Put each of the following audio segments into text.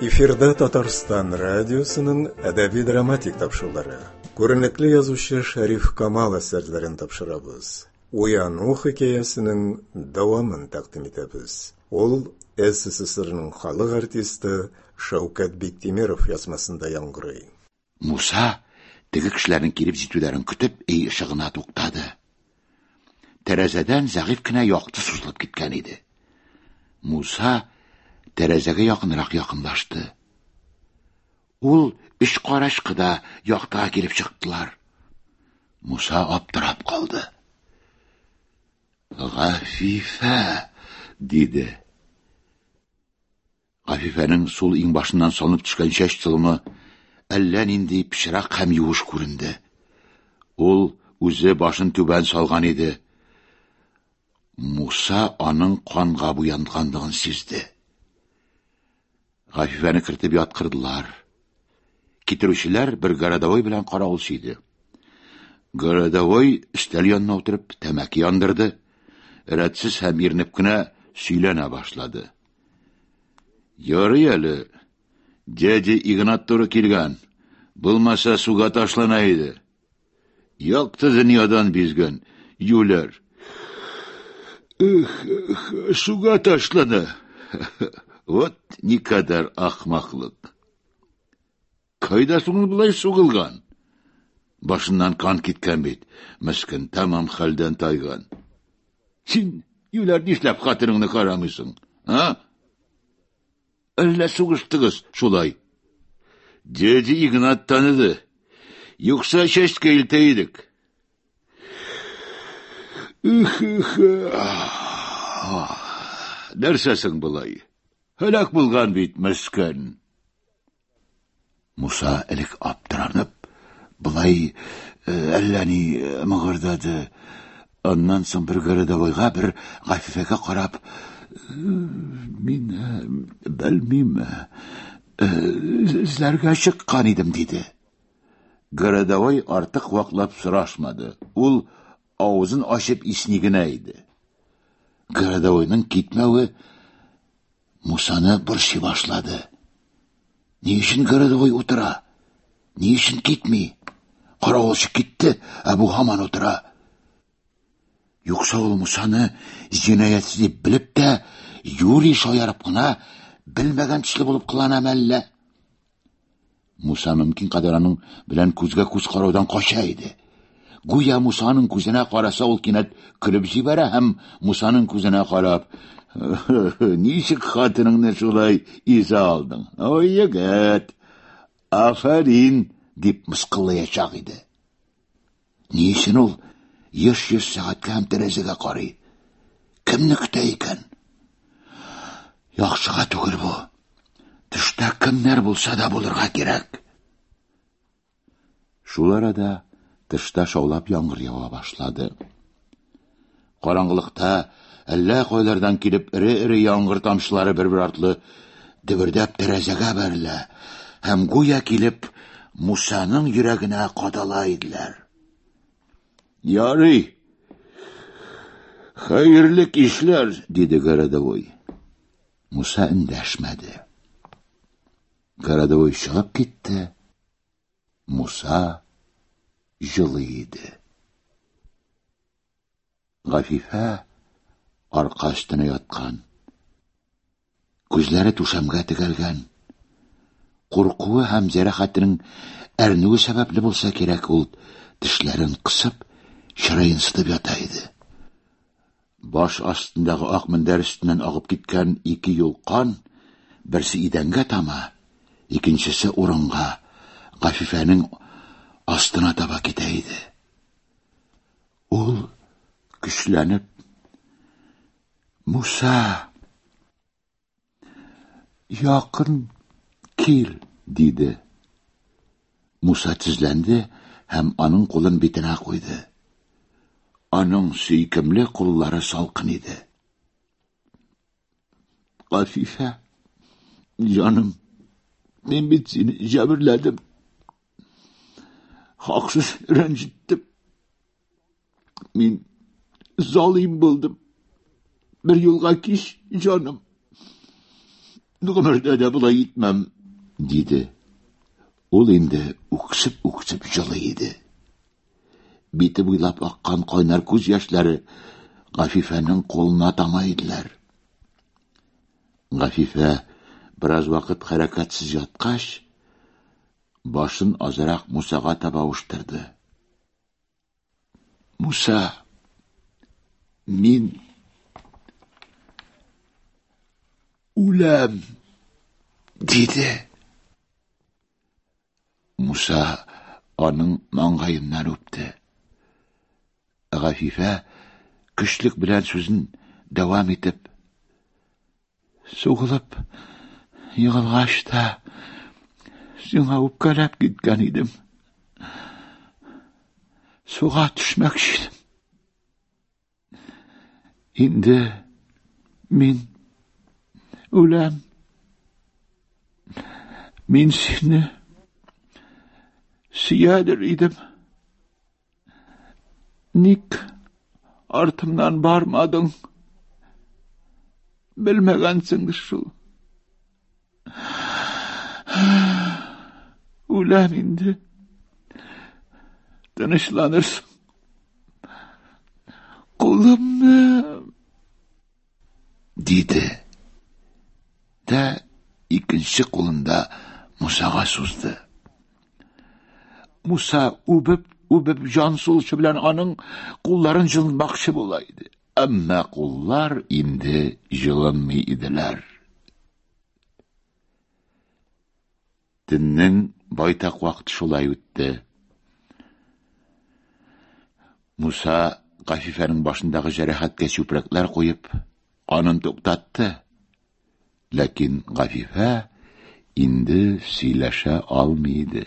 Эфирда Татарстан радиосының әдәби драматик тапшырулары. Күренекле язучы Шәриф Камал әсәрләрен тапшырабыз. Уяну хикәясенең дәвамын тәкъдим итәбез. Ул СССРның халык артисты Шәүкәт Биктимеров язмасында яңгырый. Муса, теге кешеләрнең килеп җитүләрен көтеп, өй ышыгына туктады. Тәрәзәдән зәгыйфь кенә якты сузылып киткән иде. Муса тәрәзәгә якынрак якынлашты. Ул өч карачкы да яктыга килеп чыктылар. Муса аптырап калды. Гафифә, диде. Гафифәнең сул иңбашыннан салынып төшкән чәч толымы әллә нинди пычрак һәм юеш күренде. Ул үзе башын түбән салган иде. Муса аның канга буянганлыгын сизде. Гафифәне кертеп яткырдылар. Китерүчеләр бер городовой белән каравылчы иде. Городовой өстәл янына утырып тәмәке яндырды. Рәтсез һәм иренеп кенә сөйләнә башлады. Ярый әле, дядя Игнат туры килгән. Булмаса суга ташлана иде. Якты дөньядан бизгән, юләр. Эх, эх, суга ташлана. Вот никадәр ахмаклык. Кайда соң ул болай сугылган? Башыннан кан киткән бит. Мескен тәмам хәлдән тайган. Син, юләр, нишләп хатыныңны карамыйсың? А? Әллә сугыштыгыз шулай? Дядя Игнат таныды. Юкса чәчкә илтә идек. Нәрсәсең болай? Һәлак булган бит, мескен. Муса элек аптыранып, болай э, әллә ни э, мыгырдады. Аннан соң бер городовойга, бер Гафифәгә карап, «Э, мин белмим, эзләргә чыккан идем, диде. Городовой артык ваклап сорашмады. Ул авызын ачып исни генә иде. Городовойның китмәве Мусаны борчый башлады. Ни өчен городовой утыра? Ни өчен китми? Каравылчы китте, ә бу һаман утыра. Юкса ул Мусаны җинаятьче дип белеп тә, юри шаярып кына белмәгән төсле булып кылана мәллә? Муса мөмкин кадәр аның белән күзгә күз караудан кача иде. Гүя Мусаның күзенә караса, ул кинәт көлеп җибәрә һәм Мусаның күзенә карап, "Ничек хатыныңны шулай изә алдың? Ой, егет, афәрин!" дип мыскыллаячак иде. Ни өчен ул еш-еш сәгатькә һәм тәрәзәгә карый? Кемне көтә икән? Яхшыга түгел бу. Төштә кемнәр булса да булырга кирәк. Шул арада тышта шаулап яңгыр ява башлады. Караңгылыкта әллә кайлардан килеп эре-эре яңгыр тамчылары бер-бер артлы дөбердәп тәрәзәгә бәрелә һәм гүя килеп Мусаның йөрәгенә кадала иделәр. Ярый. Хәерле кичләр, диде городовой. Муса эндәшмәде. Городовой чыгып китте. Муса җылый иде. Гафифә арка өстенә яткан. Күзләре түшәмгә тегәлгән. Куркуы һәм җәрәхәтенең әрнүе сәбәпле булса кирәк, ул тешләрен кысып, чыраен сытып ята иде. Баш астындагы ак мендәр өстеннән агып киткән ике юл кан, берсе идәнгә тама, икенчесе урынга, Гафифәнең астына таба китә иде. Ул көчләнеп Муса якын кил диде. Муса тезләнде һәм аның кулын битенә куйды. Аның сөйкемле куллары салкын иде. Гафифә, җаным, мин бит сине җәберләдем. Хаксыз рәнҗеттем. Мин залим булдым. Бер юлга кич, җаным. Гомердә дә болай итмәм. Диде. Ул инде үксеп-үксеп җылый иде. Бите буйлап аккан кайнар күз яшьләре Гафифәнең кулына тама иделәр. Гафифә бераз вакыт хәрәкәтсез яткач, башын азрак Мусага таба авыштырды. Муса, мин үләм, диде. Муса аның маңгаеннан үпте. Гафифә көчлек белән сүзен дәвам итеп, Сугылып егылгач та сиңа үпкәләп киткән идем. Суга төшмәкче идем. Инде мин үләм. Мин сине сөядер идем. Ник артымнан бармадың? Белмәгәнсеңдер шул. Үләм инде. Тынычланырсың. Кулымны диде. Дә икенче кулында Мусага сузды. Муса үбеп-үбеп җан сулышы белән аның кулларын җылынмакчы була иде. Әмма куллар инде җылынмый иделәр. Төннең байтак вакыт шулай үтте. Муса Гафифәнең башындагы җәрәхәткә чүпрәкләр куеп, канын туктатты. Ләкин Гафифә инде сөйләшә алмый иде.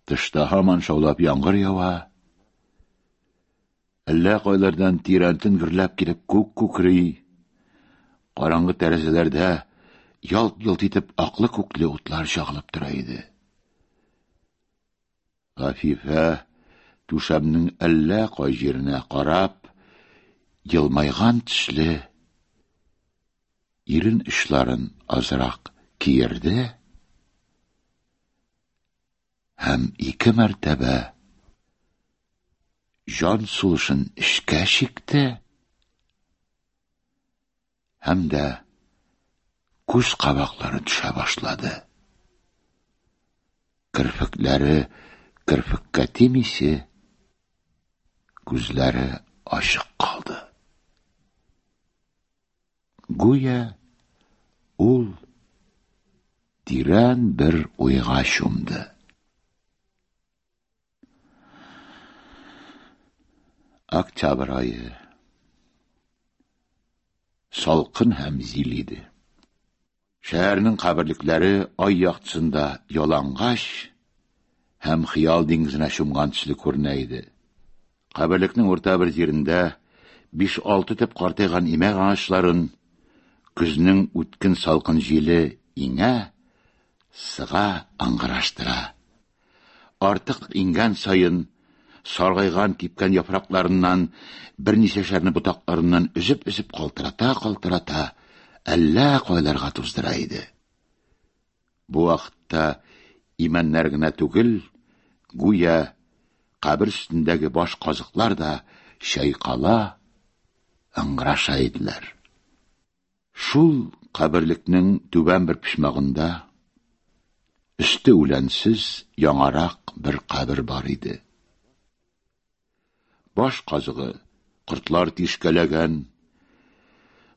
Тышта һаман шаулап яңгыр ява. Әллә кайлардан тирәнтен гөрләп килеп күк күкри. Караңгы тәрәзәләрдә ялт-йолт итеп аклы-күкле утлар чагылып тора иде. Гафифә түшәмнең әллә кай җиренә карап, елмайган төсле ирен очларын азрак киерде һәм ике мәртәбә җан сулышын эчкә чикте һәм дә күз кабаклары төшә башлады. Керфекләре керфеккә тимисе, күзләре ачык калды. Гүя ул тирән бер уйга чумды. Октябрь ае. Салкын һәм зил иде. Шәһәрнең каберлекләре ай яктысында ялангач һәм хыял диңгезенә чумган төсле күренә иде. Каберлекнең урта бер җирендә биш-алты төп картайган имәк агачларын көзнең үткен салкын җиле иңә, сыга, ыңгыраштыра. Артык иңгән саен, саргайган кипкән яфракларыннан берничәшәрне ботакларыннан өзеп-өзеп калтырата-калтырата әллә кайларга туздыра иде. Бу вакытта имәннәр генә түгел, гүя кабер өстендәге баш казыклар да чайкала, ыңгыраша иделәр. Шул каберлекнең түбән бер почмагында өсте үләнсез яңарак бер кабер бар иде. Баш казыгы кортлар тишкәләгән,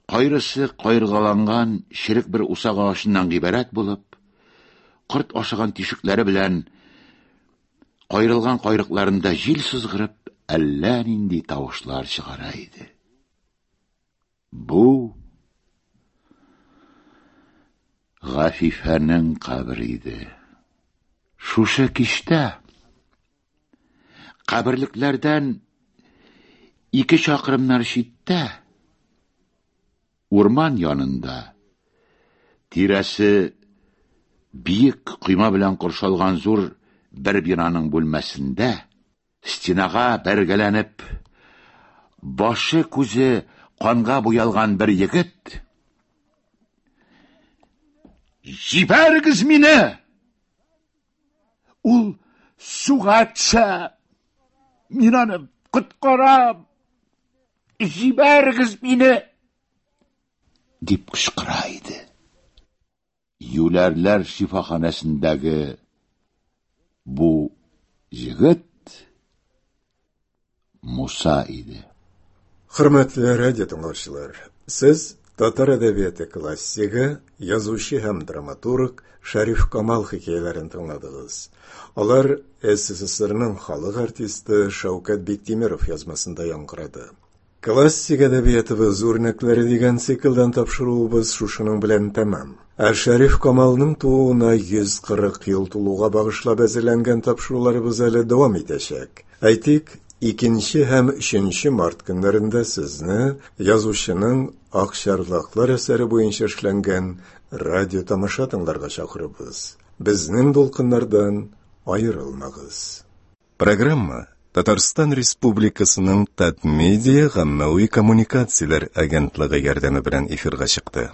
кайрысы кайыргаланган черек бер усак агачыннан гыйбарәт булып, корт ашаган тишекләре белән кайрылган кайрыкларында җил сызгырып, әллә нинди тавышлар чыгара иде. Бу Гафифәнең кабере иде. Шушы кичтә каберлекләрдән ике чакрымнар читтә, урман янында, тирәсе биек койма белән коршалган зур бер бинаның бүлмәсендә Стенага бәргәләнеп, башы-күзе канга буялган бер егет Җибәрегез мине! Ул суга төшә! Мин аны коткарам! Җибәрегез мине! Дип кычкыра иде. Юләрләр шифаханәсендәге бу җегет Муса иде. Хөрмәтле радио тыңлаучылар, сез татар әдәбияты классигы, язучы һәм драматург Шәриф Камал хикәяләрен тыңладыгыз. Алар СССРның халык артисты Шәүкәт Биктимеров язмасында яңгырады. Классик әдәбиятыбыз үрнәкләре дигән циклдан тапшыруыбыз шушының белән тәмам. Ә Шәриф Камалның тууына 140 ел тулуга багышлап әзерләнгән тапшыруларыбыз әле дәвам итәчәк. Әйтик, 2 һәм 3 март көннәрендә сезне язучының Акчарлаклар әсәре буенча эшләнгән радио тамаша тыңларга чакырабыз. Безнең дулкыннардан аерылмагыз. Программа Татарстан Республикасының Татмедиа гаммәви коммуникацияләр агентлыгы ярдәме белән эфирга чыкты.